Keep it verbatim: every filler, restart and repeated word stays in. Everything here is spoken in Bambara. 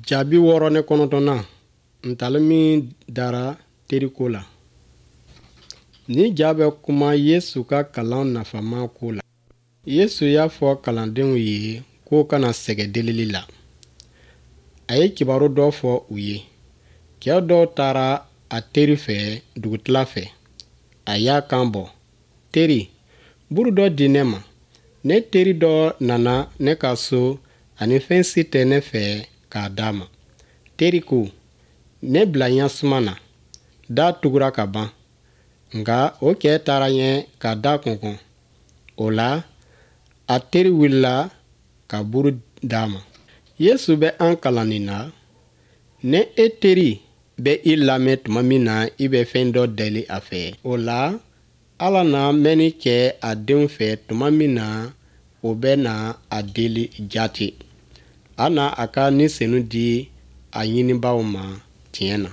Jaabi wɔɔrɔ ni kɔnɔntɔnnan ntalen min dara teriko la. Nin ja bɛ kuma Yesu ka kalan nafama ko la. Yesu y'a fɔ kalandenw ye k'u kana sɛgɛn delili la. A ye kibaru dɔ fɔ u ye. Cɛ dɔw taara a teri fɛ dugutila fɛ. A y'a kan bɔ. Teri, buru dɔ di ne ma. Ne teri dɔ nana ne ka so ani fɛn si tɛ ne fɛ k'a d'a ma. Teri ko, ne bila ɲɛsuma na. Da tugura ka ban. Nka o cɛ taara ɲɛ ka da kɔnkɔn. O la, a teri wulila ka buru d'a ma. Yesu bɛ an kalan nin na. Ni e teri bɛ i lamɛn tuma min na i bɛ fɛn dɔ deli a fɛ, o la Ala na mɛnni kɛ a denw fɛ tuma min na o bɛ na a deli jaati. A na a ka Ni Senu di a ɲinibaaw ma tiɲɛ na.